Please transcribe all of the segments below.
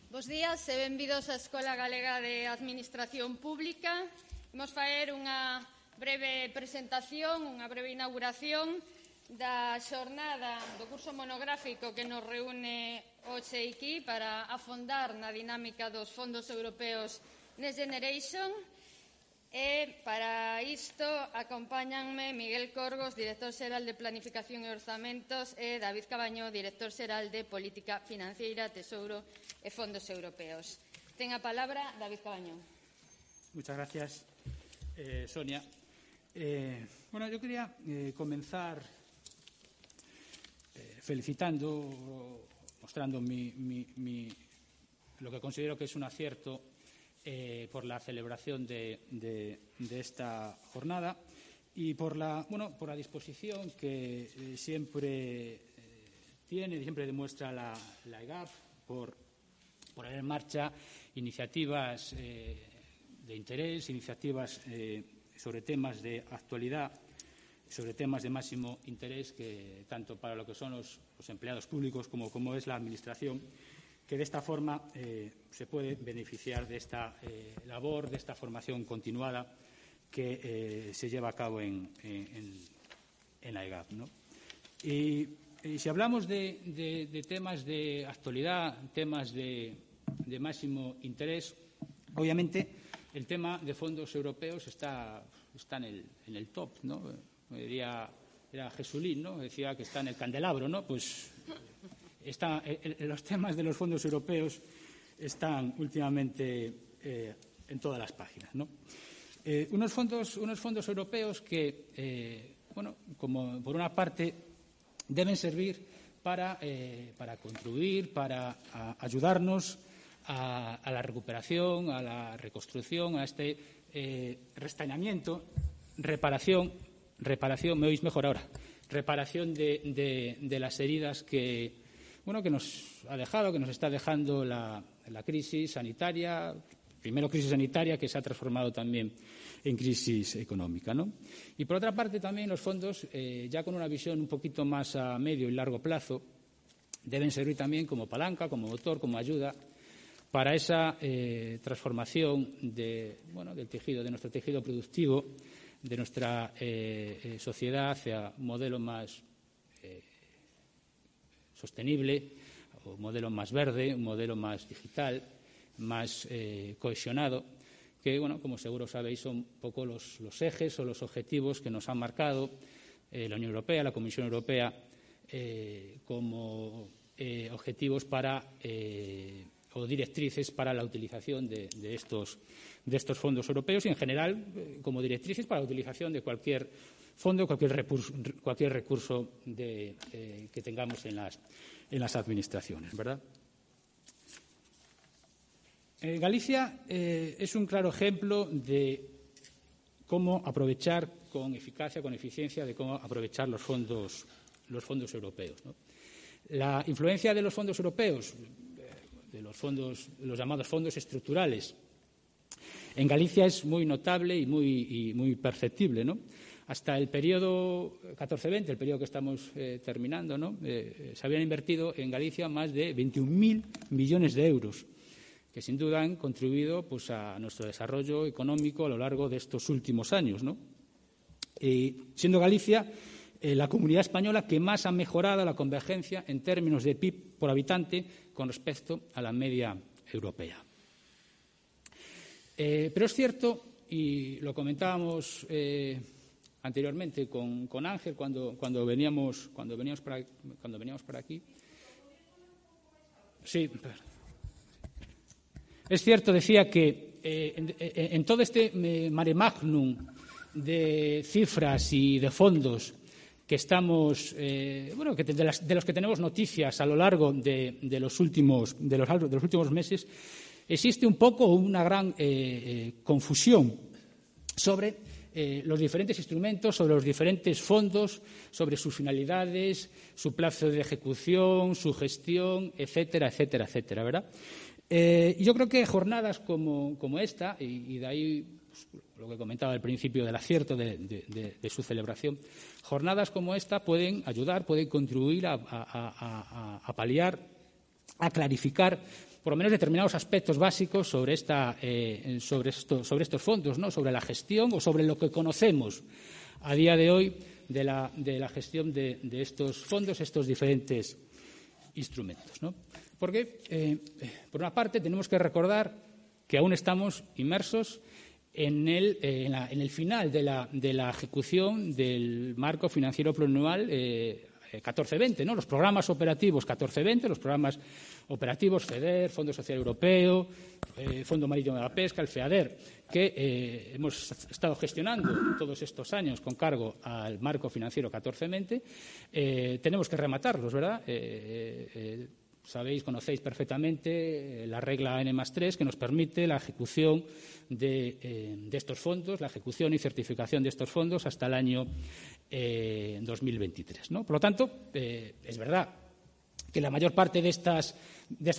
Bos días e benvidos á Escola Galega de Administración Pública. Imos faer unha breve presentación, unha breve inauguración da xornada do curso monográfico que nos reúne hoxe aquí para afondar na dinámica dos fondos europeos Next Generation. E para isto acompáñanme Miguel Corgos, director xeral de Planificación e Orzamentos, e David Cabaño, director xeral de Política Financeira, Tesouro e Fondos Europeos. Ten a palabra David Cabaño. Muchas gracias, Sonia. Yo quería comenzar felicitando, mostrando lo que considero que es un acierto por la celebración de esta jornada y por la disposición que siempre tiene y siempre demuestra la EGAP por poner en marcha iniciativas de interés, iniciativas sobre temas de actualidad, sobre temas de máximo interés que tanto para lo que son los empleados públicos como es la Administración, que de esta forma se puede beneficiar de esta labor, de esta formación continuada que se lleva a cabo en la EGAP, ¿no? Y si hablamos de temas de actualidad, temas de máximo interés, obviamente el tema de fondos europeos está en el top, ¿no? Era Jesulín, ¿no? Decía que está en el candelabro, ¿no? Pues los temas de los fondos europeos están últimamente en todas las páginas, ¿no? Unos fondos europeos que, como por una parte deben servir para contribuir, para ayudarnos a la recuperación, a la reconstrucción, a este restañamiento, reparación, ¿me oís mejor ahora? Reparación de las heridas que nos ha dejado, que nos está dejando la crisis sanitaria, primero crisis sanitaria que se ha transformado también en crisis económica, ¿no? Y por otra parte también los fondos, ya con una visión un poquito más a medio y largo plazo, deben servir también como palanca, como motor, como ayuda para esa transformación del tejido, de nuestro tejido productivo, de nuestra sociedad hacia un modelo más sostenible, un modelo más verde, un modelo más digital, más cohesionado, que, como seguro sabéis, son un poco los ejes o los objetivos que nos han marcado la Unión Europea, la Comisión Europea, como objetivos o directrices para la utilización de estos fondos europeos y, en general, como directrices para la utilización de cualquier fondo, cualquier recurso que tengamos en las administraciones, ¿verdad? Galicia es un claro ejemplo de cómo aprovechar con eficacia, con eficiencia, de cómo aprovechar los fondos europeos, ¿no? La influencia de los fondos europeos, de los llamados fondos estructurales, en Galicia es muy notable y muy perceptible, ¿no? Hasta el periodo 14-20, el periodo que estamos terminando, ¿no? Se habían invertido en Galicia más de 21.000 millones de euros, que sin duda han contribuido a nuestro desarrollo económico a lo largo de estos últimos años, ¿no? Siendo Galicia la comunidad española que más ha mejorado la convergencia en términos de PIB por habitante con respecto a la media europea. Pero es cierto, y lo comentábamos anteriormente con Ángel cuando veníamos por aquí. Sí, es cierto, decía que en todo este mare magnum de cifras y de fondos que estamos, de los que tenemos noticias a lo largo de los últimos meses, existe un poco una gran confusión sobre los diferentes instrumentos, sobre los diferentes fondos, sobre sus finalidades, su plazo de ejecución, su gestión, etcétera, etcétera, etcétera, ¿verdad? Yo creo que jornadas como esta, y de ahí lo que comentaba al principio del acierto de su celebración, jornadas como esta pueden ayudar, pueden contribuir a paliar a clarificar por lo menos determinados aspectos básicos sobre estos fondos, ¿no? Sobre la gestión o sobre lo que conocemos a día de hoy de la gestión de estos fondos, estos diferentes instrumentos, ¿no? Porque, por una parte, tenemos que recordar que aún estamos inmersos en el final de la ejecución del marco financiero plurianual 14-20, ¿no? Los programas operativos 14-20, los programas operativos FEDER, Fondo Social Europeo, Fondo Marítimo de la Pesca, el FEADER, que hemos estado gestionando todos estos años con cargo al marco financiero 14-20, tenemos que rematarlos, ¿verdad? Conocéis perfectamente la regla N+3 que nos permite la ejecución de estos fondos, la ejecución y certificación de estos fondos hasta el año 2023, ¿no? Por lo tanto, es verdad que la mayor parte de estas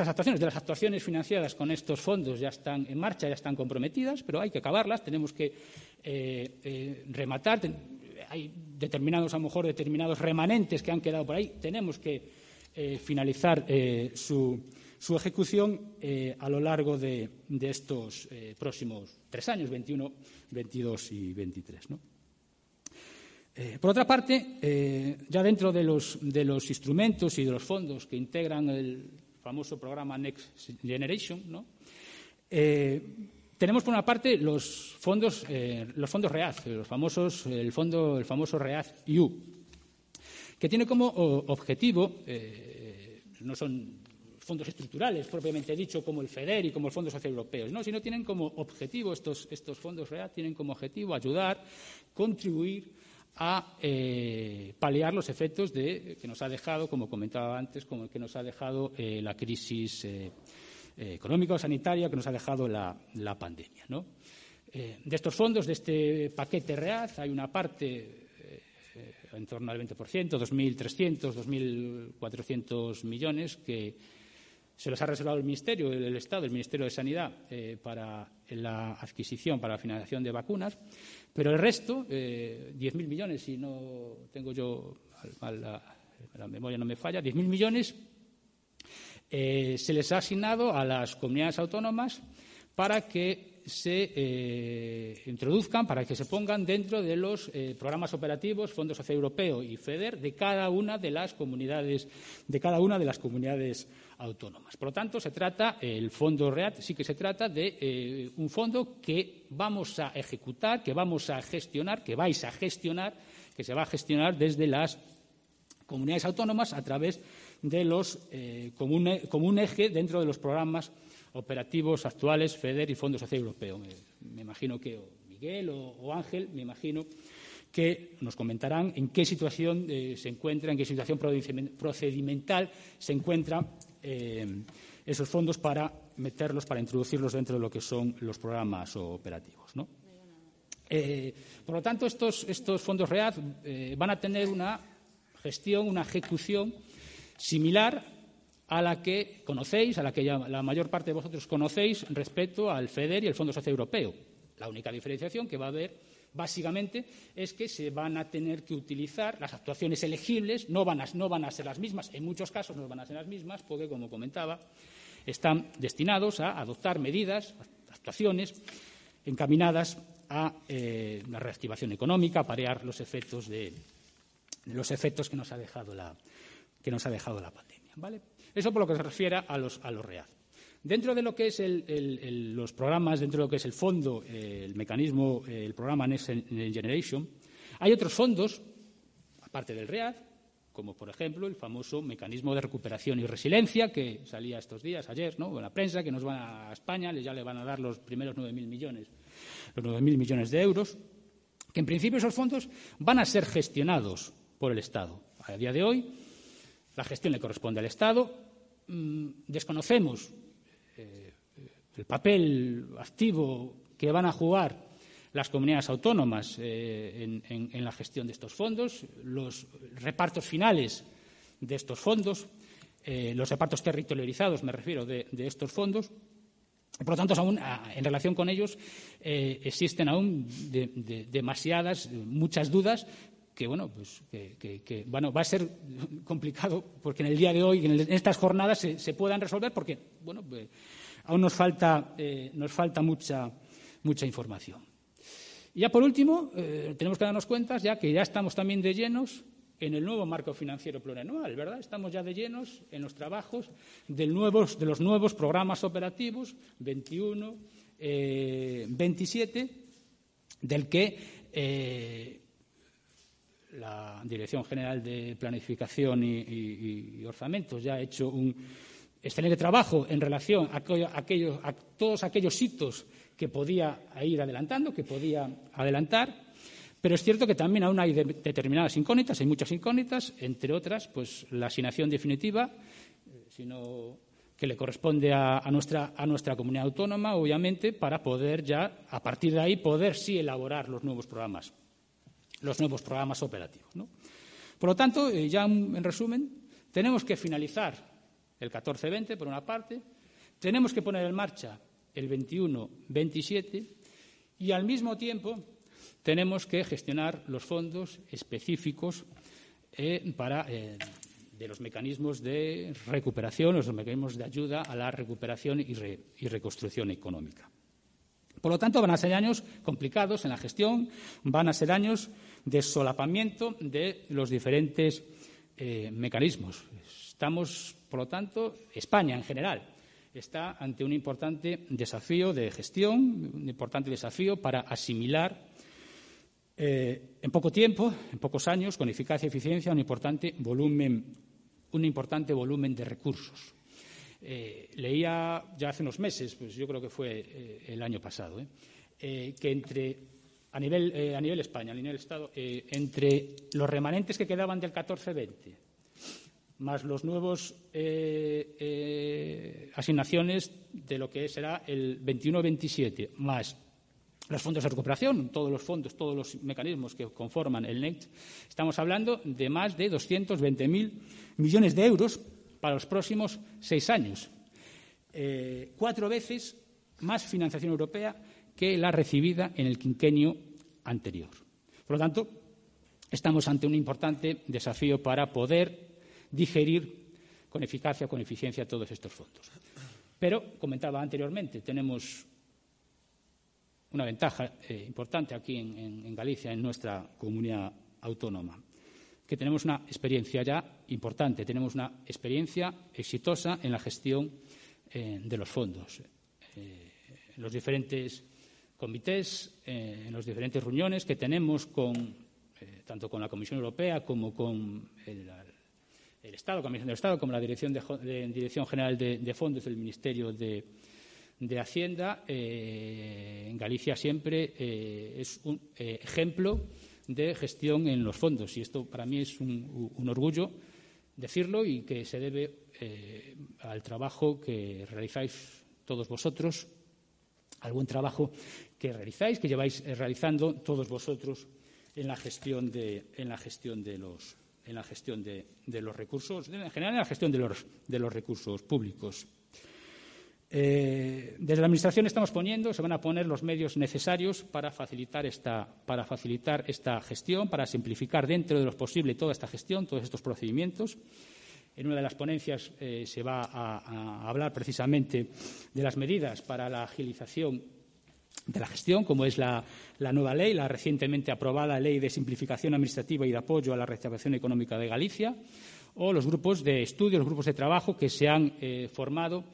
actuaciones, de las actuaciones financiadas con estos fondos ya están en marcha, ya están comprometidas, pero hay que acabarlas, tenemos que rematar, hay determinados remanentes que han quedado por ahí, tenemos que finalizar su ejecución a lo largo de estos próximos 3 años, 21, 22 y 23, ¿no? Por otra parte, ya dentro de los instrumentos y de los fondos que integran el famoso programa Next Generation, ¿no? Tenemos por una parte los fondos READ, el famoso READ-EU, que tiene como objetivo, no son fondos estructurales propiamente dicho como el FEDER y como el Fondo Social Europeo, ¿no? Sino tienen como objetivo, estos fondos READ tienen como objetivo ayudar, contribuir a paliar los efectos que nos ha dejado, como comentaba antes, como que nos ha dejado la crisis económica o sanitaria, que nos ha dejado la pandemia, ¿no? De estos fondos, de este paquete READ, hay una parte en torno al 20%, 2.300, 2.400 millones que se los ha reservado el Ministerio del Estado, el Ministerio de Sanidad, para la adquisición, para la financiación de vacunas, pero el resto, 10.000 millones, si no tengo yo, la memoria no me falla, 10.000 millones se les ha asignado a las comunidades autónomas para que se introduzcan, para que se pongan dentro de los programas operativos, Fondo Social Europeo y FEDER de cada una de las comunidades autónomas. Por lo tanto, el fondo READ sí que se trata de un fondo que vamos a ejecutar, que vamos a gestionar, que vais a gestionar, que se va a gestionar desde las comunidades autónomas a través de como un eje dentro de los programas operativos actuales FEDER y Fondo Social Europeo. Me imagino que Miguel o Ángel, me imagino que nos comentarán en qué situación se encuentra, en qué situación procedimental se encuentran esos fondos para meterlos, para introducirlos dentro de lo que son los programas operativos, ¿no? Por lo tanto, estos fondos READ van a tener una gestión, una ejecución similar a la que conocéis, a la que ya la mayor parte de vosotros conocéis respecto al FEDER y el Fondo Social Europeo. La única diferenciación que va a haber, básicamente, es que se van a tener que utilizar las actuaciones elegibles, no van a ser las mismas, en muchos casos no van a ser las mismas, porque, como comentaba, están destinados a adoptar medidas, actuaciones encaminadas a la reactivación económica, a paliar los efectos que nos ha dejado la pandemia, ¿vale? Eso por lo que se refiere a los READ. Dentro de lo que es los programas, dentro de lo que es el fondo, el mecanismo, el programa Next Generation, hay otros fondos, aparte del READ, como por ejemplo el famoso mecanismo de recuperación y resiliencia que salía estos días, ayer, ¿no?, en la prensa, que nos van a España, ya le van a dar los primeros 9.000 millones de euros, que en principio esos fondos van a ser gestionados por el Estado. A día de hoy, la gestión le corresponde al Estado. Desconocemos el papel activo que van a jugar las comunidades autónomas en la gestión de estos fondos, los repartos finales de estos fondos, los repartos territorializados, me refiero, de estos fondos. Por lo tanto, en relación con ellos existen aún muchas dudas va a ser complicado porque en el día de hoy, en estas jornadas, se puedan resolver porque aún nos falta mucha información. Y ya por último, tenemos que darnos cuenta que ya estamos también de llenos en el nuevo marco financiero plurianual, ¿verdad? Estamos ya de llenos en los trabajos de los nuevos programas operativos 21, 27, del que la Dirección General de Planificación y Orzamentos ya ha hecho un excelente trabajo en relación a todos aquellos hitos que podía ir adelantando, que podía adelantar. Pero es cierto que también aún hay determinadas incógnitas, hay muchas incógnitas, entre otras, pues la asignación definitiva, sino que le corresponde a nuestra comunidad autónoma, obviamente, para poder ya, a partir de ahí, poder sí elaborar los nuevos programas operativos, ¿no? Por lo tanto, ya en resumen, tenemos que finalizar el 14-20, por una parte, tenemos que poner en marcha el 21-27 y, al mismo tiempo, tenemos que gestionar los fondos específicos de los mecanismos de recuperación, los mecanismos de ayuda a la recuperación y reconstrucción económica. Por lo tanto, van a ser años complicados en la gestión, van a ser años de solapamiento de los diferentes mecanismos. Estamos, por lo tanto, España en general está ante un importante desafío de gestión, un importante desafío para asimilar en poco tiempo, en pocos años, con eficacia y eficiencia, un importante volumen de recursos. Leía ya hace unos meses, pues yo creo que fue el año pasado, que a nivel España, a nivel Estado, entre los remanentes que quedaban del 14-20, más los nuevos asignaciones de lo que será el 21-27, más los fondos de recuperación, todos los mecanismos que conforman el NECT, estamos hablando de más de 220.000 millones de euros para los próximos 6 años. 4 veces más financiación europea que la recibida en el quinquenio anterior. Por lo tanto, estamos ante un importante desafío para poder digerir con eficacia, con eficiencia todos estos fondos. Pero, comentaba anteriormente, tenemos una ventaja importante aquí en Galicia, en nuestra comunidad autónoma, que tenemos una experiencia ya importante, tenemos una experiencia exitosa en la gestión de los fondos. En los diferentes comités, en las diferentes reuniones que tenemos tanto con la Comisión Europea como con el Estado, Comisión del Estado, como la Dirección General de Fondos del Ministerio de Hacienda, en Galicia siempre es un ejemplo de gestión en los fondos. Y esto para mí es un orgullo decirlo y que se debe al trabajo que realizáis todos vosotros, al buen trabajo que realizáis, que lleváis realizando todos vosotros en la gestión de los recursos, en general en la gestión de los recursos públicos. Desde la Administración se van a poner los medios necesarios para facilitar esta gestión, para simplificar dentro de lo posible toda esta gestión, todos estos procedimientos. En una de las ponencias se va a hablar precisamente de las medidas para la agilización de la gestión, como es la nueva ley, la recientemente aprobada Ley de Simplificación Administrativa y de Apoyo a la Reactivación Económica de Galicia, o los grupos de estudio, los grupos de trabajo que se han formado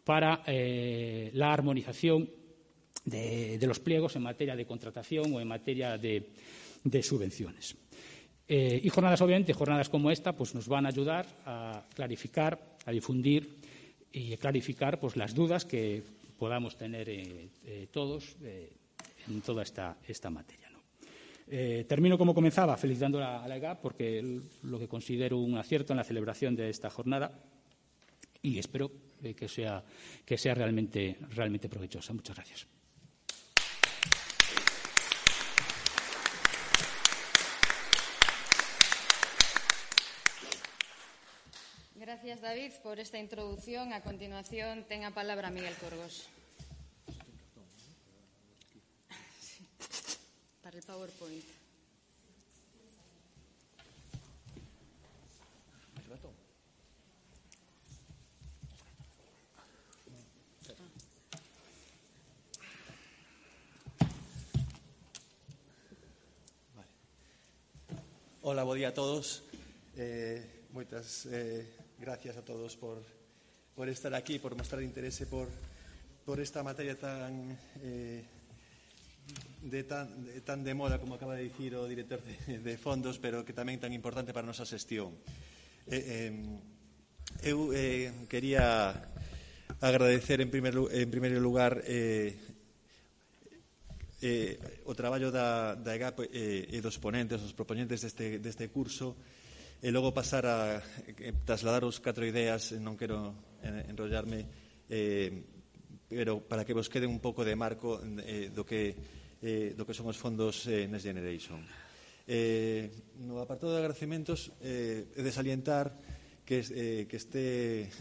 para la armonización de los pliegos en materia de contratación o en materia de subvenciones. Y jornadas como esta, pues nos van a ayudar a clarificar, a difundir y a clarificar pues las dudas que podamos tener todos en toda esta materia, ¿no? Termino como comenzaba, felicitando a la EGAP porque lo que considero un acierto en la celebración de esta jornada y espero que sea realmente provechosa. Muchas gracias. Gracias, David, por esta introducción. A continuación, ten a palabra Miguel Corgos. Para el PowerPoint. ratón. Hola, bo día a todos. Moitas gracias a todos por estar aquí, por mostrar interese por esta materia tan de moda, como acaba de dicir o director de fondos, pero que tamén tan importante para a nosa xestión. Eu quería agradecer en primeiro lugar o traballo da EGAP e dos ponentes, dos propoñentes deste curso, e logo pasar a trasladar os 4 ideas. Non quero enrollarme, pero para que vos quede un pouco de marco do que son os fondos Next Generation. No apartado de agradecementos, he de salientar que este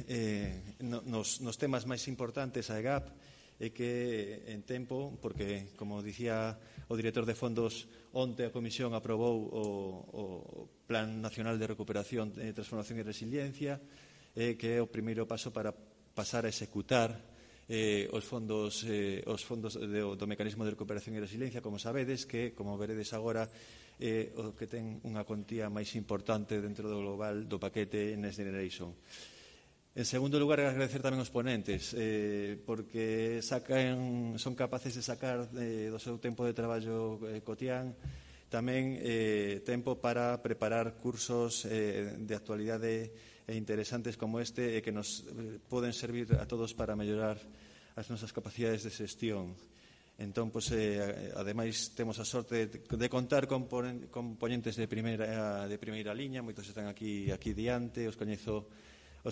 nos temas máis importantes a EGAP e que en tempo, porque, como dicía o director de fondos, onte a Comisión aprobou o Plan Nacional de Recuperación, Transformación e Resiliencia, que é o primeiro paso para pasar a executar os fondos do Mecanismo de Recuperación e Resiliencia, como sabedes, que, como veredes agora, o que ten unha cuantía máis importante dentro do global do paquete Next Generation. En segundo lugar, agradecer tamén aos ponentes, porque son capaces de sacar do seu tempo de traballo cotián tamén tempo para preparar cursos de actualidade e interesantes como este, e que nos poden servir a todos para mellorar as nosas capacidades de xestión. Entón, ademais, temos a sorte de contar con ponentes de primeira liña. Moitos están aquí diante, os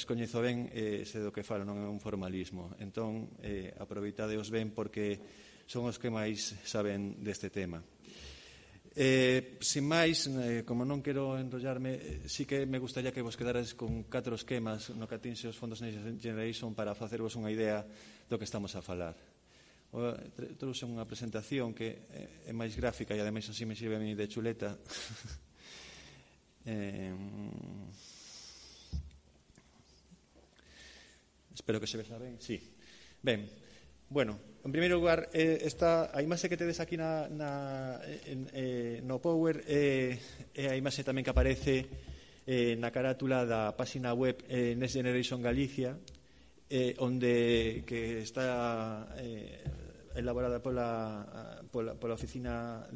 coñezo ben, sei do que falo, non é un formalismo. Entón, aproveitadeos ben, porque son os que máis saben deste tema. Sin máis, como non quero enrollarme, sí que me gustaría que vos quedaras con 4 esquemas no que atinxe os fondos Next Generation para facervos unha idea do que estamos a falar. Trouxe unha presentación que é máis gráfica e ademais así me sirve a mí de chuleta. Espero que se vexa ben. Sí. Ben, bueno, en primeiro lugar, a imaxe que tedes aquí no Power é a imaxe tamén que aparece na carátula da páxina web Next Generation Galicia, que está elaborada pola oficina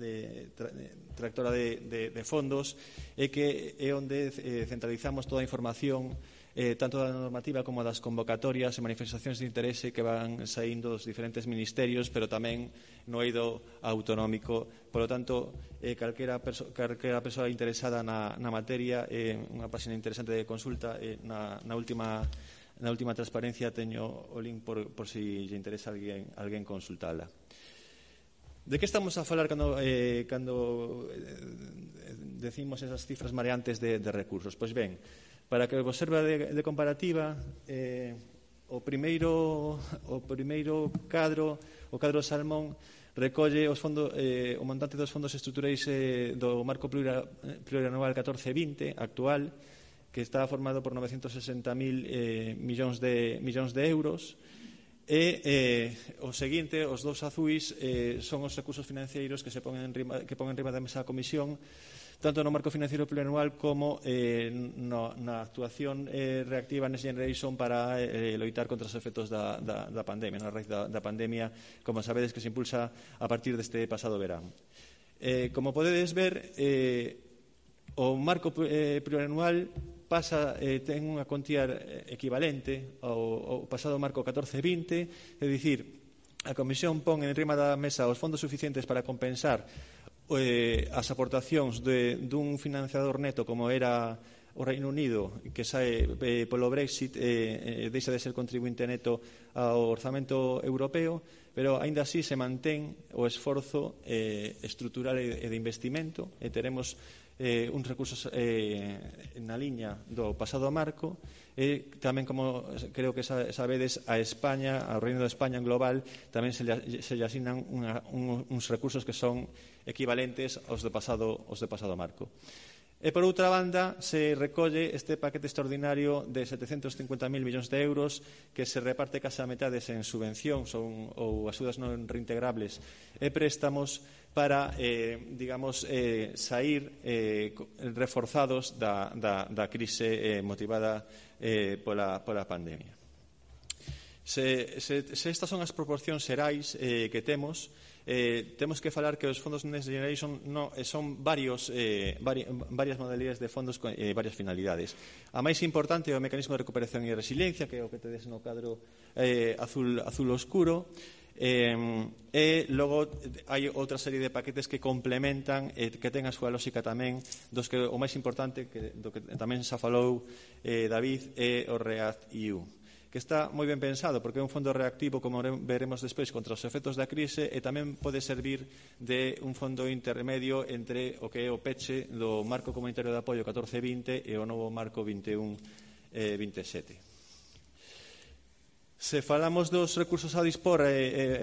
tractora de fondos, e que é onde centralizamos toda a información, tanto da normativa como das convocatorias e manifestacións de interese que van saindo dos diferentes ministerios, pero tamén no eido autonómico. Por lo tanto, calquera persoa interesada na materia, unha página interesante de consulta. Na última transparencia teño o link por si lle interesa alguén consultala. De que estamos a falar cando decimos esas cifras mareantes de recursos? Pois ben, para que vos serva de comparativa, o primeiro cadro, o cadro Salmón, recolle o montante dos fondos estruturais do marco plurianual 14-20 actual, que está formado por 960.000 millóns de euros, e o seguinte, os dous azuis, son os recursos financeiros que pon enriba da mesa a Comisión, tanto no marco financiero plurianual como na actuación reactiva Next Generation para loitar contra os efectos da pandemia, na raíz da pandemia, como sabedes, que se impulsa a partir deste pasado verán. Como podedes ver, o marco plurianual ten unha cuantía equivalente ao pasado marco 14-20, é dicir, a Comisión pon enriba da mesa os fondos suficientes para compensar as aportacións dun financiador neto como era o Reino Unido, que sae polo Brexit, deixa de ser contribuinte neto ao orzamento europeo, pero aínda así se mantén o esforzo estrutural e de investimento, e teremos uns recursos na liña do pasado marco, e tamén, como creo que sabedes, a España, ao Reino de España en global, tamén se lle asignan uns recursos que son equivalentes aos do pasado marco. E, por outra banda, se recolle este paquete extraordinario de 750.000 millóns de euros que se reparte case a metades en subvencións ou axudas non reintegrables e préstamos para, sair reforzados da crise motivada pola pandemia. Se estas son as proporcións xerais que temos que falar que os fondos Next Generation son varias modalidades de fondos con varias finalidades. A máis importante é o mecanismo de recuperación e resiliencia, que é o que tedes no cadro azul oscuro, e logo hai outra serie de paquetes que complementan que ten a súa lógica tamén, dos que o máis importante do que tamén xa falou David é o REACT-EU, que está moi ben pensado porque é un fondo reactivo, como veremos despois, contra os efectos da crise, e tamén pode servir de un fondo intermedio entre o que é o peche do marco comunitario de apoio 14-20 e o novo marco 21-27. Se falamos dos recursos a dispor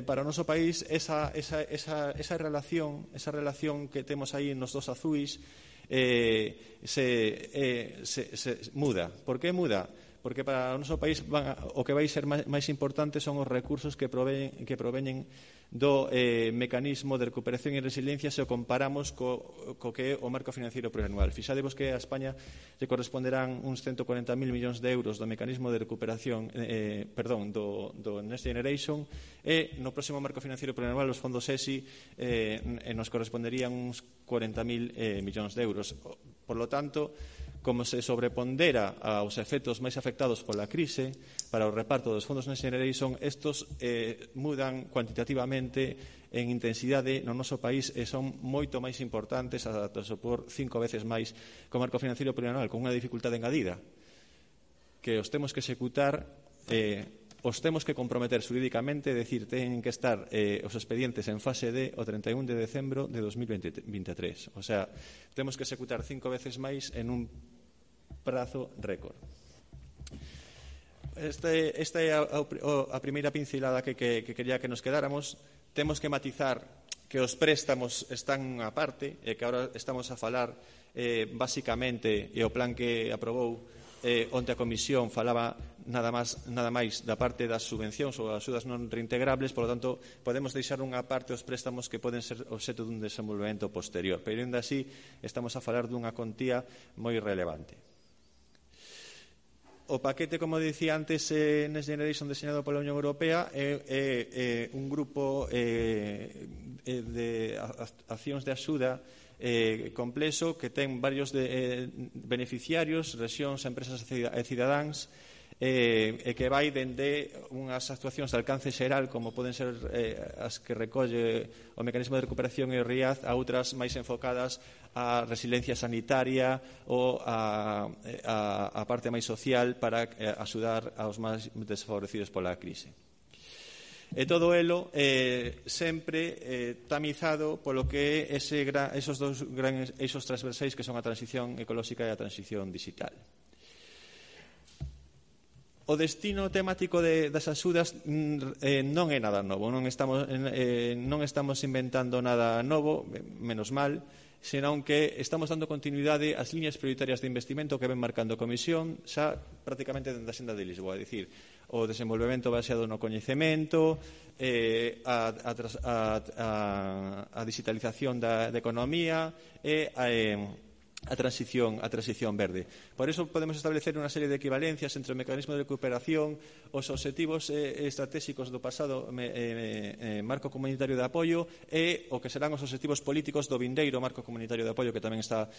para o noso país, esa relación que temos aí nos dos azuis se muda. Por que muda? Porque para o noso país o que vai ser máis importante son os recursos que proveñen do mecanismo de recuperación e resiliencia se o comparamos co que é o marco financiero plurianual. Fixadevos que a España lle corresponderán uns 140.000 millóns de euros do mecanismo de recuperación do Next Generation, e no próximo marco financiero plurianual os fondos ESI nos corresponderían uns 40.000 millóns de euros. Por lo tanto, como se sobrepondera aos efectos máis afectados pola crise para o reparto dos fondos Next Generation, estos mudan cuantitativamente en intensidade no noso país e son moito máis importantes, ata supor 5 veces máis que o marco financiero plurianual, con unha dificultade engadida, que os temos que executar, os temos que comprometer xurídicamente, decir, teñen que estar os expedientes en fase D o 31 de decembro de 2023. O sea, temos que executar 5 veces máis en un prazo récord. Esta é a primeira pincelada que quería que nos quedáramos. Temos que matizar que os préstamos están á parte e que agora estamos a falar basicamente, e o plan que aprobou onte a Comisión falaba nada máis da parte das subvencións ou das axudas non reintegrables, por lo tanto podemos deixar unha parte os préstamos que poden ser obxecto dun desenvolvemento posterior, pero ainda así estamos a falar dunha contía moi relevante. O paquete, como dicía antes, Next Generation deseñado pola Unión Europea é un grupo de accións de axuda complexo que ten varios beneficiarios, rexións, empresas e cidadáns, e que vai dende unhas actuacións de alcance xeral, como poden ser as que recolle o mecanismo de recuperación e o RIAD, a outras máis enfocadas a resiliencia sanitaria ou a parte máis social para axudar aos máis desfavorecidos pola crise. E todo elo sempre tamizado polo que é esos dous grandes eixos transversais que son a transición ecolóxica e a transición digital. O destino temático das axudas non é nada novo, non estamos inventando nada novo, menos mal, senón que estamos dando continuidade ás liñas prioritarias de investimento que ven marcando a Comisión xa prácticamente dende a Xenda de Lisboa, é dicir, o desenvolvemento baseado no coñecemento, a digitalización da economía e a transición verde. Por iso podemos establecer unha serie de equivalencias entre o mecanismo de recuperación, os obxectivos estratégicos do pasado marco comunitario de apoio e o que serán os obxectivos políticos do vindeiro marco comunitario de apoio, que tamén xa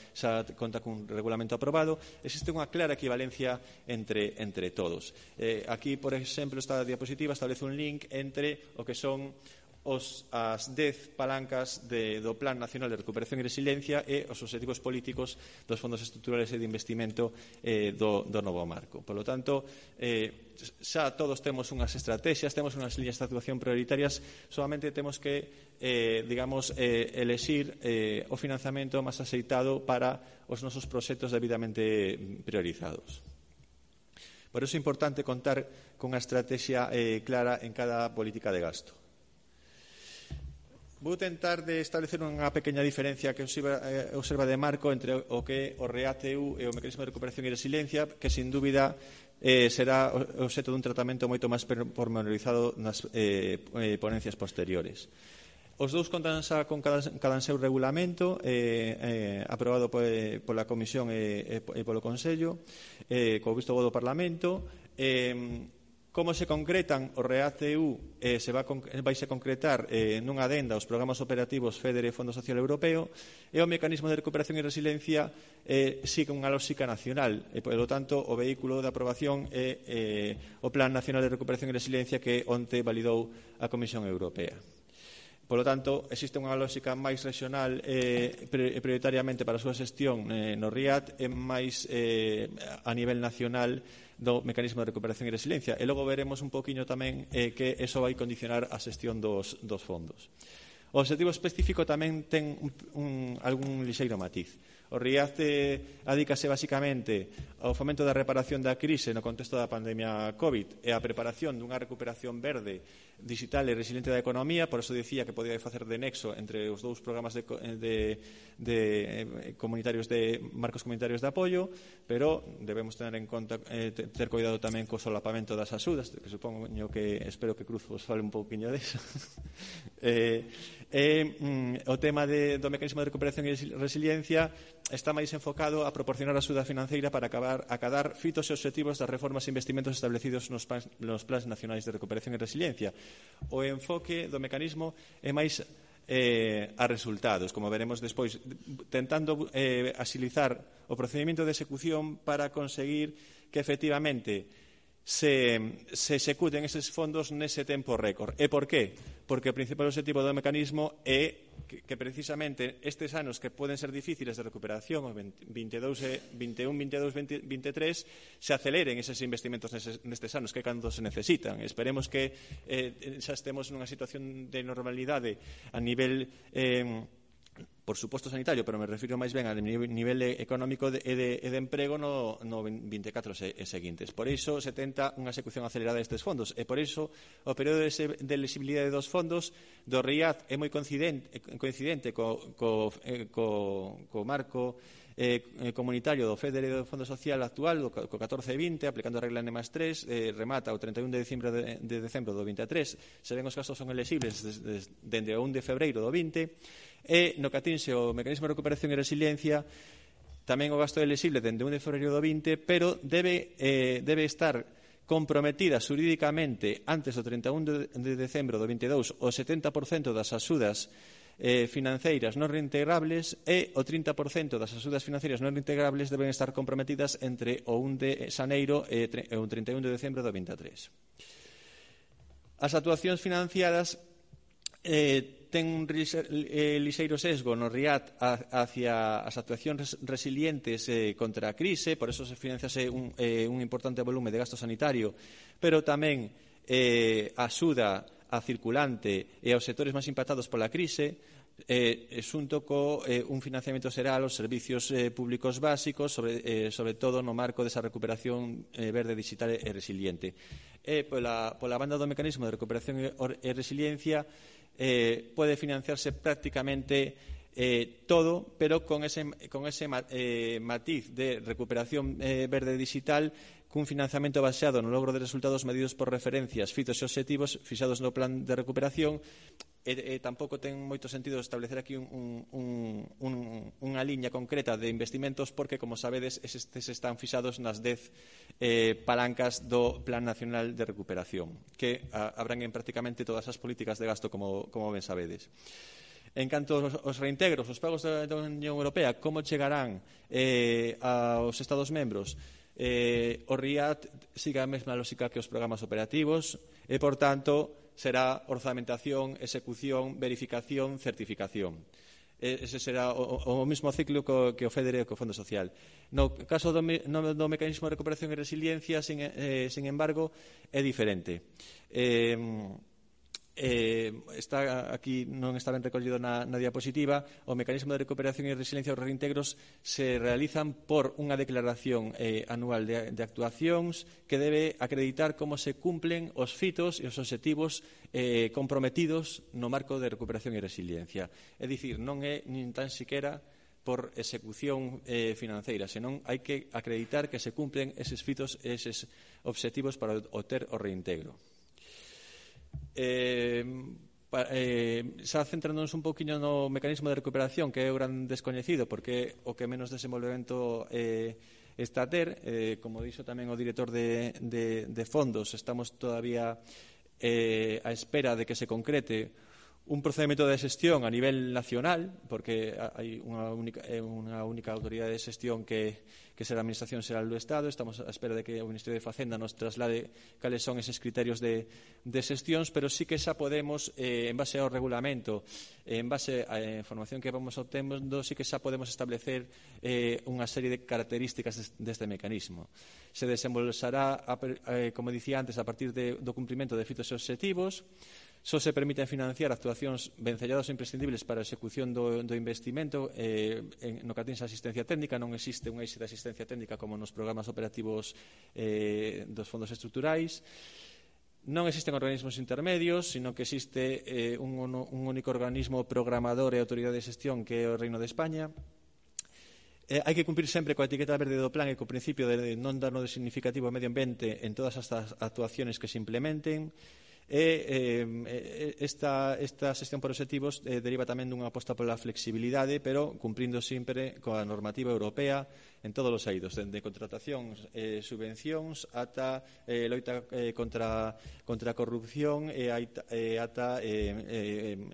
conta cun regulamento aprobado. Existe unha clara equivalencia entre todos. Aquí, por exemplo, esta diapositiva establece un link entre o que son as 10 palancas do Plan Nacional de Recuperación e Resiliencia e os obxectivos políticos dos fondos estruturales e de investimento do novo marco. Por lo tanto, xa todos temos unhas estrategias, temos unhas liñas de actuación prioritarias, solamente temos que, elexir o financiamento máis axeitado para os nosos proxectos debidamente priorizados. Por iso é importante contar con unha estrategia clara en cada política de gasto. Vou tentar de establecer unha pequena diferencia que observa de marco entre o que o REACT-EU e o Mecanismo de Recuperación e Resiliencia, que sin dúbida será obxecto dun tratamento moito máis pormenorizado nas ponencias posteriores. Os dous contan xa con cada seu regulamento aprobado pola Comisión e polo Consello, co visto bo do Parlamento. Como se concretan o REACT-EU vai se concretar nunha adenda aos programas operativos FEDER e Fondo Social Europeo, e o Mecanismo de Recuperación e Resiliencia sigue unha lógica nacional, e, polo tanto, o vehículo de aprobación é o Plan Nacional de Recuperación e Resiliencia que onte validou a Comisión Europea. Polo tanto, existe unha lógica máis regional prioritariamente para a súa xestión no RIAT e máis a nivel nacional do Mecanismo de Recuperación e Resiliencia. E logo veremos un poquinho tamén que eso vai condicionar a xestión dos fondos. O obxectivo específico tamén ten algún lixeiro matiz. O RIAT adícase basicamente ao fomento da reparación da crise no contexto da pandemia COVID e a preparación dunha recuperación verde, digital e resiliente da economía. Por eso dicía que podía facer de nexo entre os dous programas comunitarios de marcos comunitarios de apoio, pero debemos ter en conta ter cuidado tamén co solapamento das axudas, que supoño que espero que Cruz vos fale un pouquiño deso. O tema do Mecanismo de Recuperación e Resiliencia está máis enfocado a proporcionar axuda financeira para acadar fitos e obxectivos das reformas e investimentos establecidos nos plans nacionais de recuperación e resiliencia. O enfoque do mecanismo é máis a resultados, como veremos despois, tentando axilizar o procedimento de execución para conseguir que efectivamente se executen eses fondos nese tempo récord. E por qué? Porque o principal objetivo do mecanismo é que precisamente estes anos que poden ser difíciles de recuperación, 21, 22, 23, se aceleren eses investimentos nestes anos que cando se necesitan. Esperemos que xa estemos nunha situación de normalidade a nivel por suposto sanitario, pero me refiro máis ben a nivel económico e de emprego no 24 e seguintes. Por iso se tenta unha execución acelerada destes fondos, e por iso o período de elexibilidade dos fondos do RIAT é moi coincidente co marco comunitario do FEDER e do Fondo Social actual, co 14-20, aplicando a regla N+3, remata o 31 de decembro do 23. Se ven os casos son elexibles dende o 1 de febreiro do 20, e no que atinxe o Mecanismo de Recuperación e Resiliencia tamén o gasto é elexible dende o 1 de febreiro do 20, pero debe estar comprometida xurídicamente antes do 31 de decembro do 22 o 70% das axudas financeiras non reintegrables, e o 30% das axudas financeiras non reintegrables deben estar comprometidas entre o 1 de xaneiro e o 31 de decembro do 23. As actuacións financiadas ten un lixeiro sesgo no RIAT hacia as actuacións resilientes contra a crise, por eso se financiase un importante volume de gasto sanitario, pero tamén axuda a circulante e aos sectores máis impactados pola crise, xunto co un financiamento xeral aos servicios públicos básicos, sobre todo no marco desa recuperación verde, digital e resiliente. Pola banda do Mecanismo de Recuperación e Resiliencia pode financiarse prácticamente todo, pero con ese matiz de recuperación verde digital, cun financiamento baseado no logro de resultados medidos por referencias, fitos e obxectivos fixados no plan de recuperación. Tampouco ten moito sentido establecer aquí unha liña concreta de investimentos, porque, como sabedes, estes están fixados nas 10 palancas do Plan Nacional de Recuperación, que abranguen prácticamente todas as políticas de gasto, como ben sabedes. En canto aos reintegros, os pagos da Unión Europea, como chegarán aos Estados membros? O RIAT sigue a mesma lógica que os programas operativos e, por tanto, será orzamentación, execución, verificación, certificación. Ese será o mesmo ciclo que o FEDER e o Fondo Social. No caso do Mecanismo de Recuperación e Resiliencia, sin embargo, é diferente. está aquí, non está ben recollido na diapositiva. O mecanismo de recuperación e resiliencia dos reintegros se realizan por unha declaración anual de actuacións que debe acreditar como se cumplen os fitos e os obxectivos comprometidos no marco de recuperación e resiliencia. É dicir, non é nin tan siquera por execución financeira, senón hai que acreditar que se cumplen eses fitos e eses obxectivos para obter o reintegro. Xa centrándonos un pouquiño no mecanismo de recuperación, que é o gran descoñecido porque o que menos desenvolvemento está a ter, como dixo tamén o director de fondos, estamos todavía á espera de que se concrete un procedimento de xestión a nivel nacional, porque hai unha única autoridade de xestión que será a Administración Xeral do Estado. Estamos á espera de que o Ministerio de Facenda nos traslade cales son eses criterios de xestións, pero sí que xa podemos, en base ao regulamento, en base á información que vamos obtendo, sí que xa podemos establecer unha serie de características deste mecanismo. Se desenvolverá, como dicía antes, a partir do cumprimento de fitos e obxectivos. Só se permiten financiar actuacións vencelladas ou imprescindibles para a execución do investimento no que atinse a asistencia técnica. Non existe un eixe de asistencia técnica como nos programas operativos dos fondos estruturais. Non existen organismos intermedios, sino que existe un único organismo programador e autoridade de xestión, que é o Reino de España. Hai que cumprir sempre coa etiqueta verde do plan e co principio de non dar no significativo ao medio ambiente en todas as actuaciones que se implementen. Esta xestión por obxectivos deriva tamén dunha aposta pola flexibilidade, pero cumprindo sempre coa normativa europea en todos os eidos, dende contratacións, subvencións, ata loita contra a corrupción e ata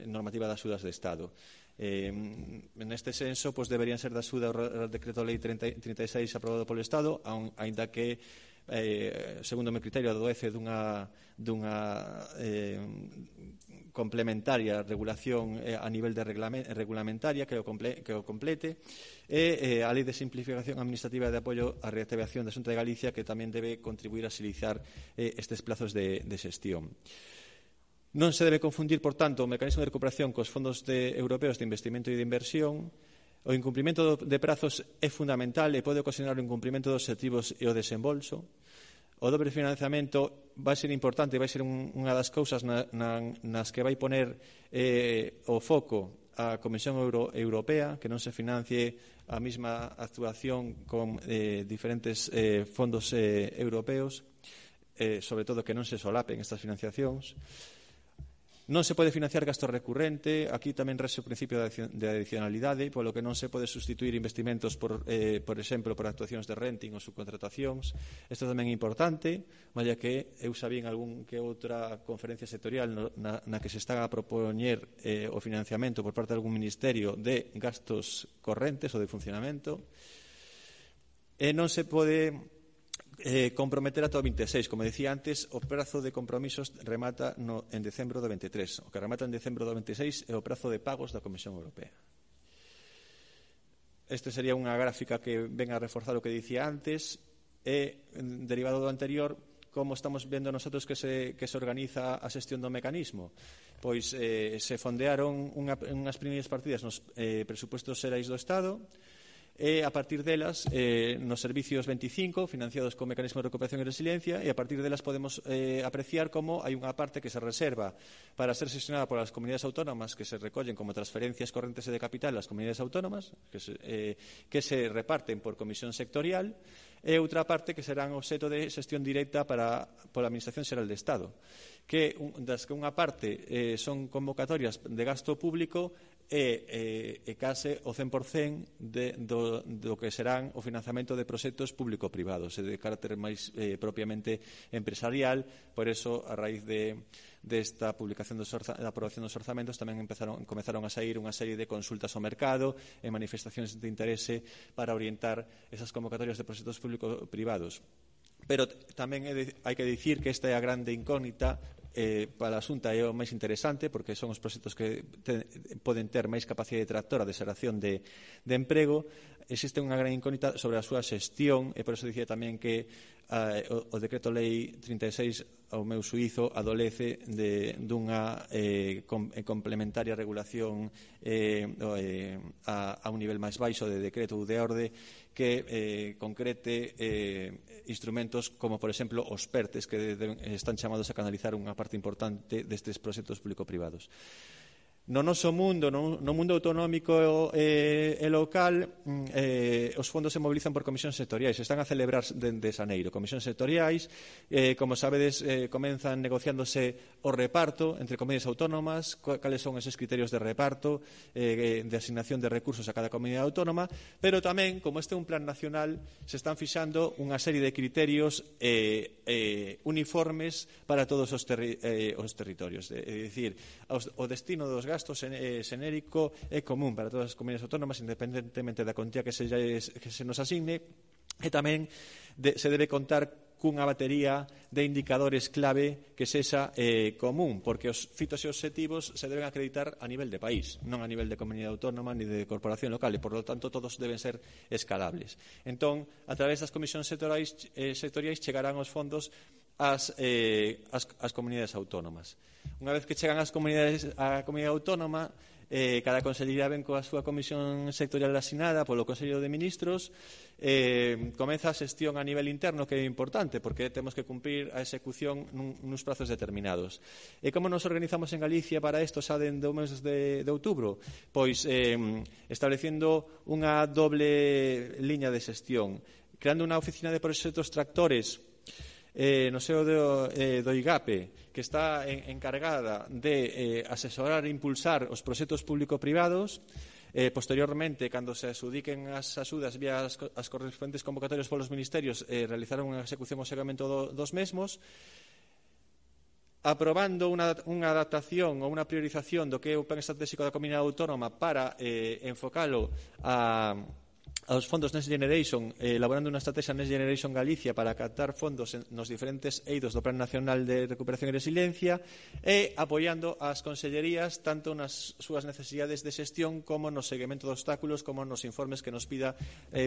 normativa das axudas de Estado. Neste senso, deberían ser da axuda o Decreto Lei 36 aprobado polo Estado, aínda que segundo o meu criterio adoece dunha complementaria regulación a nivel de regulamentaria que o complete, e a Lei de Simplificación Administrativa de Apoio á Reactivación da Xunta de Galicia, que tamén debe contribuir a axilizar estes plazos de xestión. Non se debe confundir, por tanto, o mecanismo de recuperación cos fondos europeos de investimento e de inversión. O incumprimento de prazos é fundamental e pode ocasionar o incumprimento dos obxectivos e o desembolso. O dobre financiamento vai ser importante, vai ser unha das cousas nas que vai poner o foco a Comisión Europea, que non se financie a mesma actuación con diferentes fondos europeos, sobre todo que non se solapen estas financiacións. Non se pode financiar gasto recurrente. Aquí tamén rese o principio de adicionalidade, polo que non se pode sustituir investimentos por exemplo, por actuacións de renting ou subcontratacións. Isto tamén é importante, malla que eu sabín algún que outra conferencia sectorial na que se está a propoñer o financiamento por parte de algún ministerio de gastos correntes ou de funcionamento. Non se pode comprometer ata o 26, como decía antes, o prazo de compromisos remata en decembro do 23. O que remata en decembro do 26 é o prazo de pagos da Comisión Europea. Este sería unha gráfica que ven a reforzar o que dicía antes, e derivado do anterior, como estamos vendo nosotros que se organiza a xestión do mecanismo. Pois se fondearon unhas primeiras partidas nos presupuestos xerais do Estado, e a partir delas nos servicios 25 financiados con mecanismo de recuperación e resiliencia, e a partir delas podemos apreciar como hai unha parte que se reserva para ser xestionada por as comunidades autónomas, que se recollen como transferencias correntes e de capital ás comunidades autónomas, que se reparten por comisión sectorial, e outra parte que serán obxeto de xestión directa pola Administración Xeral de Estado, das que unha parte son convocatorias de gasto público e case o 100% do que serán o financiamento de proxectos público-privados e de carácter máis propiamente empresarial. Por eso, a raíz desta publicación da aprobación dos orzamentos, tamén comezaron a sair unha serie de consultas ao mercado e manifestacións de interese para orientar esas convocatorias de proxectos público-privados. Pero tamén hai que dicir que esta é a grande incógnita para a Xunta, é o máis interesante, porque son os proxectos que poden ter máis capacidade tractora de xeración de emprego, existe unha gran incógnita sobre a súa xestión, e por eso dicía tamén que o decreto lei 36 ao meu suízo adolece dunha complementaria regulación a un nivel máis baixo de decreto ou de orde que concrete instrumentos como, por exemplo, os PERTES, que están chamados a canalizar unha parte importante destes proxectos público-privados. No noso mundo, no mundo autonómico e local, os fondos se mobilizan por comisións sectoriais. Están a celebrar dende xaneiro comisións sectoriais. Como sabedes, comenzan negociándose o reparto entre comunidades autónomas, cales son esos criterios de reparto, de asignación de recursos a cada comunidade autónoma, pero tamén, como este é un plan nacional, se están fixando unha serie de criterios uniformes para todos os territorios. É dicir, o destino dos gastos xenérico é común para todas as comunidades autónomas, independentemente da cuantía que se nos asigne, e tamén se debe contar cunha batería de indicadores clave que sexa común, porque os fitos e obxectivos se deben acreditar a nivel de país, non a nivel de comunidade autónoma ni de corporación local, e, por lo tanto, todos deben ser escalables. Entón, a través das comisións sectoriais chegarán os fondos ás comunidades autónomas. Unha vez que chegan á comunidade autónoma, cada consellería ven coa súa comisión sectorial asignada polo Consello de Ministros, comeza a xestión a nivel interno, que é importante, porque temos que cumprir a execución nuns prazos determinados. E como nos organizamos en Galicia para isto xa dende o mes de outubro? Pois establecendo unha doble liña de xestión, creando unha oficina de proxectos tractores no seo do IGAPE, que está encargada de asesorar e impulsar os proxectos público-privados. Posteriormente, cando se asudiquen as axudas vía as correspondentes convocatorias polos ministerios, realizaron unha execución ao seguimento dos mesmos, aprobando unha adaptación ou unha priorización do que é o plan estratégico da comunidade autónoma para enfocalo aos fondos Next Generation, elaborando unha estrategia Next Generation Galicia para captar fondos nos diferentes eidos do Plan Nacional de Recuperación e Resiliencia, e apoiando as consellerías tanto nas súas necesidades de xestión como no seguimento de obstáculos, como nos informes que nos pida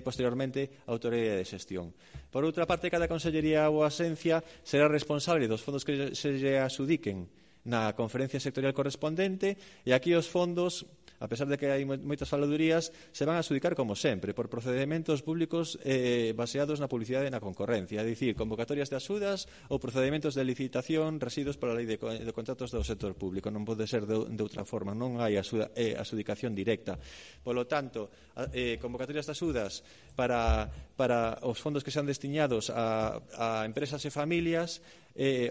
posteriormente a Autoridade de Xestión. Por outra parte, cada consellería ou asencia será responsable dos fondos que se lle asudiquen na conferencia sectorial correspondente, e aquí os fondos, a pesar de que hai moitas faladurías, se van a adxudicar como sempre, por procedimentos públicos baseados na publicidade e na concorrencia, é dicir, convocatorias de axudas ou procedimentos de licitación residuos pola lei de contratos do sector público. Non pode ser de outra forma, non hai adxudicación directa. Polo tanto, convocatorias de axudas para os fondos que sean destinados a empresas e familias,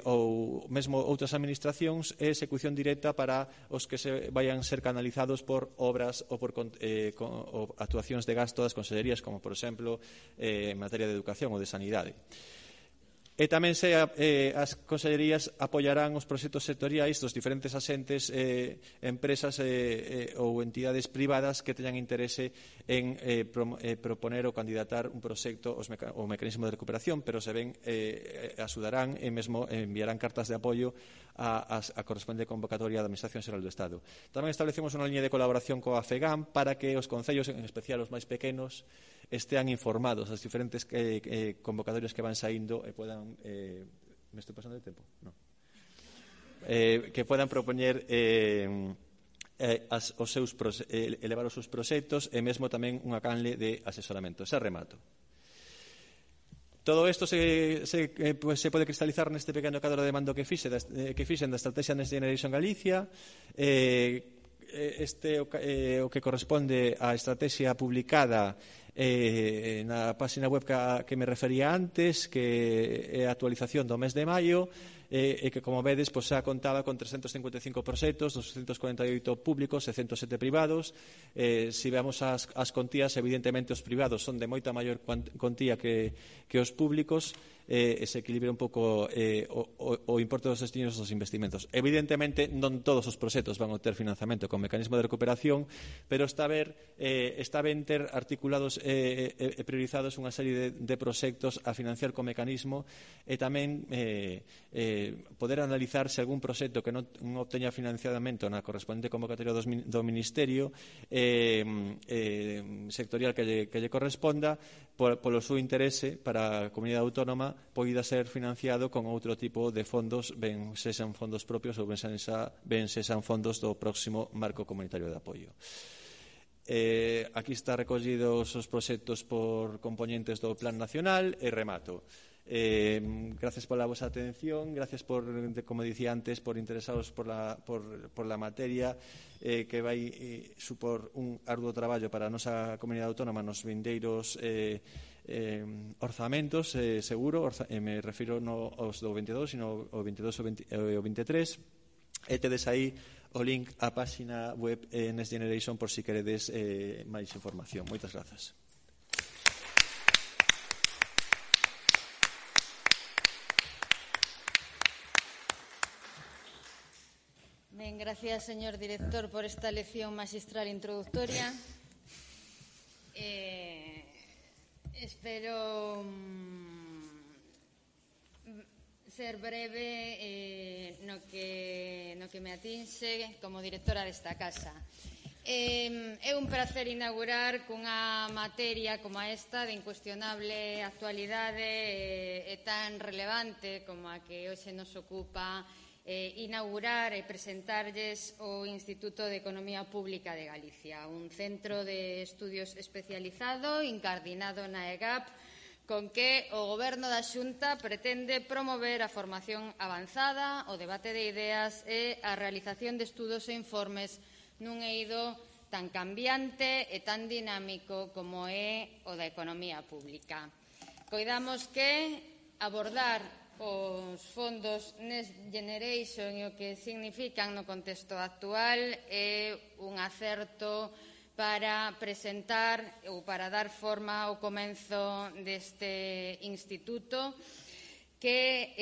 ou mesmo outras administracións, e execución directa para os que se vayan ser canalizados por obras ou por actuacións de gasto das consellerías, como, por exemplo, en materia de educación ou de sanidade. E tamén as consellerías apoiarán os proxectos sectoriais dos diferentes asentes, empresas ou entidades privadas que teñan interese en proponer ou candidatar un proxecto ou mecanismo de recuperación, pero se ven axudarán e mesmo enviarán cartas de apoio a correspondente convocatoria da Administración Xeral do Estado. Tamén establecemos unha liña de colaboración coa FEGAM para que os concellos, en especial os máis pequenos, estean informados das diferentes convocatorias que van saindo e puedan... me estou pasando de tempo? No. Que puedan propoñer elevar os seus proxectos, e mesmo tamén unha canle de asesoramento. Xa remato. Todo isto se pode cristalizar neste pequeno cadro de mando que fixen da Estrategia Next Generation Galicia. Este o que corresponde á estrategia publicada na página web que me refería antes, que é a actualización do mes de maio, e que, como vedes, xa contaba con 355 proxectos, 248 públicos e 107 privados. Se vemos as contías, evidentemente os privados son de moita maior contía que os públicos, se equilibre un pouco o importe dos destinos dos investimentos. Evidentemente, non todos os proxectos van a ter financiamento con mecanismo de recuperación, pero está ben ter articulados e priorizados unha serie de proxectos a financiar con mecanismo e tamén poder analizar se algún proxecto que non obteña financiamento na correspondente convocatoria do Ministerio sectorial que lle corresponda polo seu interese para a comunidade autónoma poida ser financiado con outro tipo de fondos, ben sexan fondos propios ou ben sexan fondos do próximo marco comunitario de apoio. Aquí está recollidos os proxectos por componentes do Plan Nacional e remato. Gracias pola vosa atención, gracias por, como dicía antes, por interesados por la materia que vai supor un arduo traballo para a nosa comunidade autónoma nos vindeiros orzamentos, seguro, me refiro non aos do 22, sino ao 22 e o 23, e tedes aí o link á páxina web Next Generation por si queredes máis información. Moitas grazas. Ben, gracias, señor director, por esta lección magistral introductoria. Espero ser breve no que me atinxe como directora desta casa. É un placer inaugurar cunha materia como esta de incuestionable actualidade e tan relevante como a que hoxe nos ocupa inaugurar e presentarlles o Instituto de Economía Pública de Galicia, un centro de estudios especializado incardinado na EGAP, con que o Goberno da Xunta pretende promover a formación avanzada, o debate de ideas e a realización de estudos e informes nun eido tan cambiante e tan dinámico como é o da economía pública. Coidamos que abordar os fondos Next Generation e o que significan no contexto actual é un acerto para presentar ou para dar forma ao comenzo deste instituto que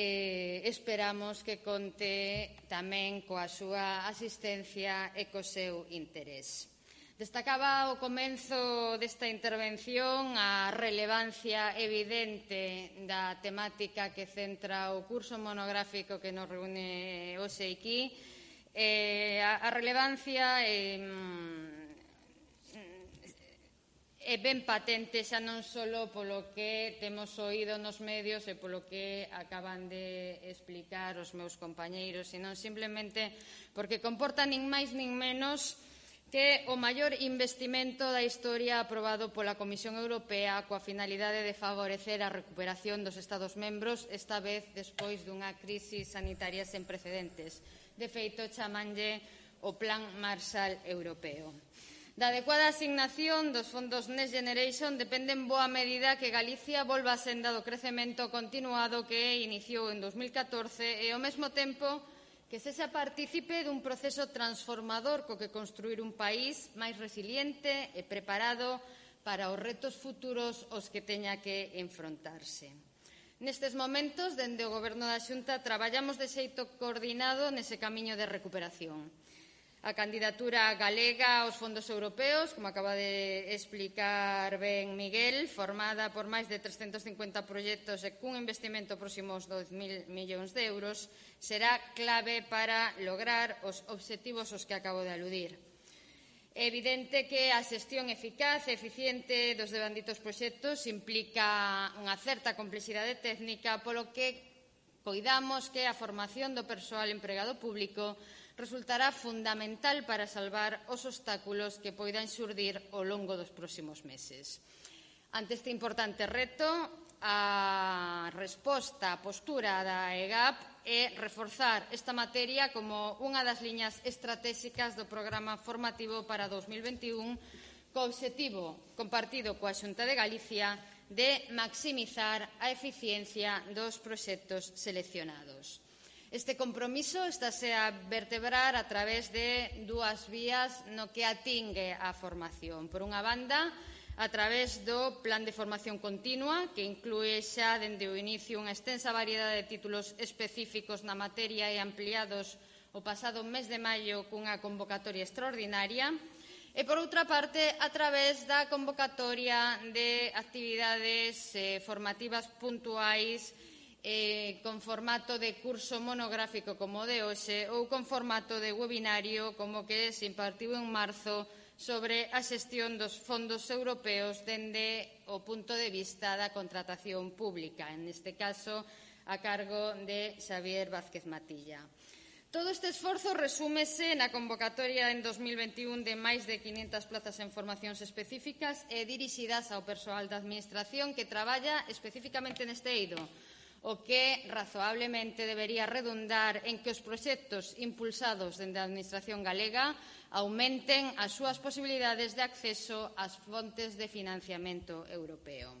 esperamos que conte tamén coa súa asistencia e co seu interés. Destacaba ao comenzo desta intervención a relevancia evidente da temática que centra o curso monográfico que nos reúne hoxe aquí. A relevancia é ben patente xa non só polo que temos oído nos medios e polo que acaban de explicar os meus compañeiros, senón simplemente porque comporta nin máis nin menos que o maior investimento da historia aprobado pola Comisión Europea coa finalidade de favorecer a recuperación dos Estados membros, esta vez despois dunha crise sanitaria sen precedentes. De feito, chamanlle o Plan Marshall Europeo. Da adecuada asignación dos fondos Next Generation depende en boa medida que Galicia volva a senda do crecemento continuado que iniciou en 2014 e, ao mesmo tempo, que sexa partícipe dun proceso transformador co que construir un país máis resiliente e preparado para os retos futuros aos que teña que enfrontarse. Nestes momentos, dende o Goberno da Xunta, traballamos de xeito coordinado nese camiño de recuperación. A candidatura galega aos fondos europeos, como acaba de explicar ben Miguel, formada por máis de 350 proxectos e cun investimento próximo aos 2.000 millóns de euros, será clave para lograr os obxectivos aos que acabo de aludir. É evidente que a xestión eficaz e eficiente dos devanditos proxectos implica unha certa complexidade técnica, polo que coidamos que a formación do persoal empregado público resultará fundamental para salvar os obstáculos que poidan xurdir ao longo dos próximos meses. Ante este importante reto, a resposta, a postura da EGAP é reforzar esta materia como unha das liñas estratégicas do programa formativo para 2021 co obxectivo compartido coa Xunta de Galicia de maximizar a eficiencia dos proxectos seleccionados. Este compromiso estáse a vertebrar a través de dúas vías no que atingue á formación. Por unha banda, a través do Plan de Formación Continua, que inclúe xa dende o inicio unha extensa variedade de títulos específicos na materia e ampliados o pasado mes de maio cunha convocatoria extraordinaria. E, por outra parte, a través da convocatoria de actividades formativas puntuais con formato de curso monográfico como o de hoxe ou con formato de webinario como que se impartiu en marzo sobre a xestión dos fondos europeos dende o punto de vista da contratación pública, neste caso a cargo de Xavier Vázquez Matilla. Todo este esforzo resúmese na convocatoria en 2021 de máis de 500 plazas en formacións específicas e dirixidas ao persoal da Administración que traballa especificamente neste eido, o que razoablemente debería redundar en que os proxectos impulsados dende a Administración galega aumenten as súas posibilidades de acceso ás fontes de financiamento europeo.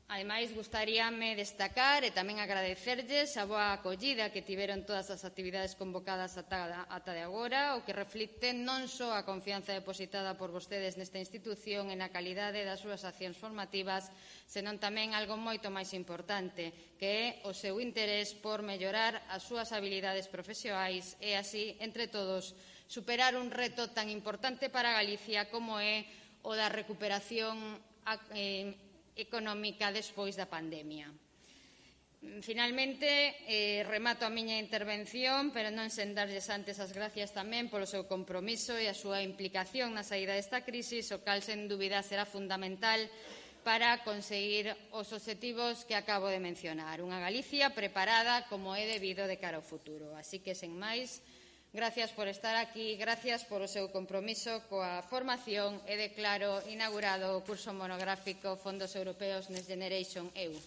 Ademais, gustaríame destacar e tamén agradecerlles a boa acollida que tiveron todas as actividades convocadas ata de agora, o que reflicte non só a confianza depositada por vostedes nesta institución e na calidade das súas accións formativas, senón tamén algo moito máis importante, que é o seu interés por mellorar as súas habilidades profesionais e así, entre todos, superar un reto tan importante para Galicia como é o da recuperación económica despois da pandemia. Finalmente, remato a miña intervención, pero non sen darlles antes as gracias tamén polo seu compromiso e a súa implicación na saída desta crisis, o cal, sen dúbida, será fundamental para conseguir os obxectivos que acabo de mencionar. Unha Galicia preparada como é debido de cara ao futuro. Así que, sen máis, gracias por estar aquí, gracias por o seu compromiso coa formación e declaro inaugurado o curso monográfico Fondos Europeos Next Generation EU.